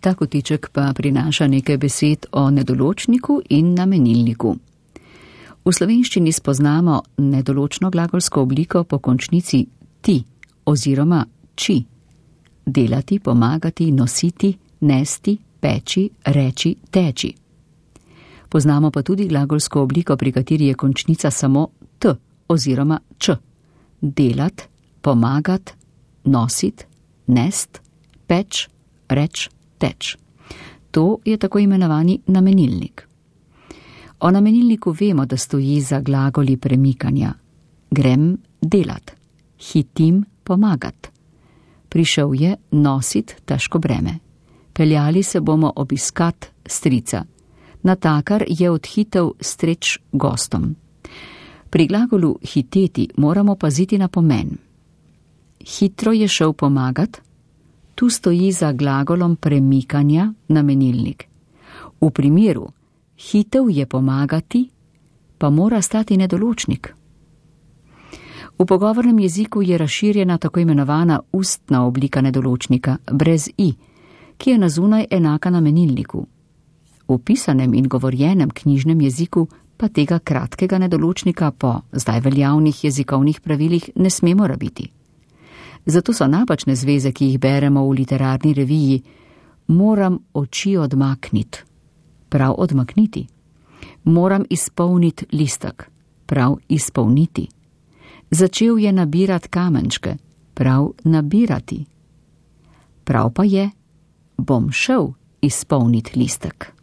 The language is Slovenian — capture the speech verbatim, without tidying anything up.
Ta kotiček pa prinaša nekaj besed o nedoločniku in namenilniku. V slovenščini spoznamo nedoločno glagolsko obliko po končnici ti oziroma či. Delati, pomagati, nositi, nesti, peči, reči, teči. Poznamo pa tudi glagolsko obliko, pri kateri je končnica samo t oziroma č. Delat, pomagat, nosit, nest, peč, reč, teč. To je tako imenovani namenilnik. O namenilniku vemo, da stoji za glagoli premikanja. Grem delat, hitim pomagat. Prišel je nosit težko breme. Peljali se bomo obiskat strica. Natakar je odhitel streč gostom. Pri glagolu hiteti moramo paziti na pomen. Hitro je šel pomagat, tu stoji za glagolom premikanja namenilnik. V primeru hitel je pomagati, pa mora stati nedoločnik. V pogovornem jeziku je razširjena tako imenovana ustna oblika nedoločnika, brez i, ki je nazunaj enaka namenilniku. V pisanem in govorjenem knjižnem jeziku pa tega kratkega nedoločnika po zdaj veljavnih jezikovnih pravilih ne smemo rabiti. Zato so napačne zveze, ki jih beremo v literarni reviji, moram oči odmakniti, prav odmakniti. Moram izpolniti listek, prav izpolniti. Začel je nabirati kamenčke, prav nabirati. Prav pa je, bom šel izpolniti listek.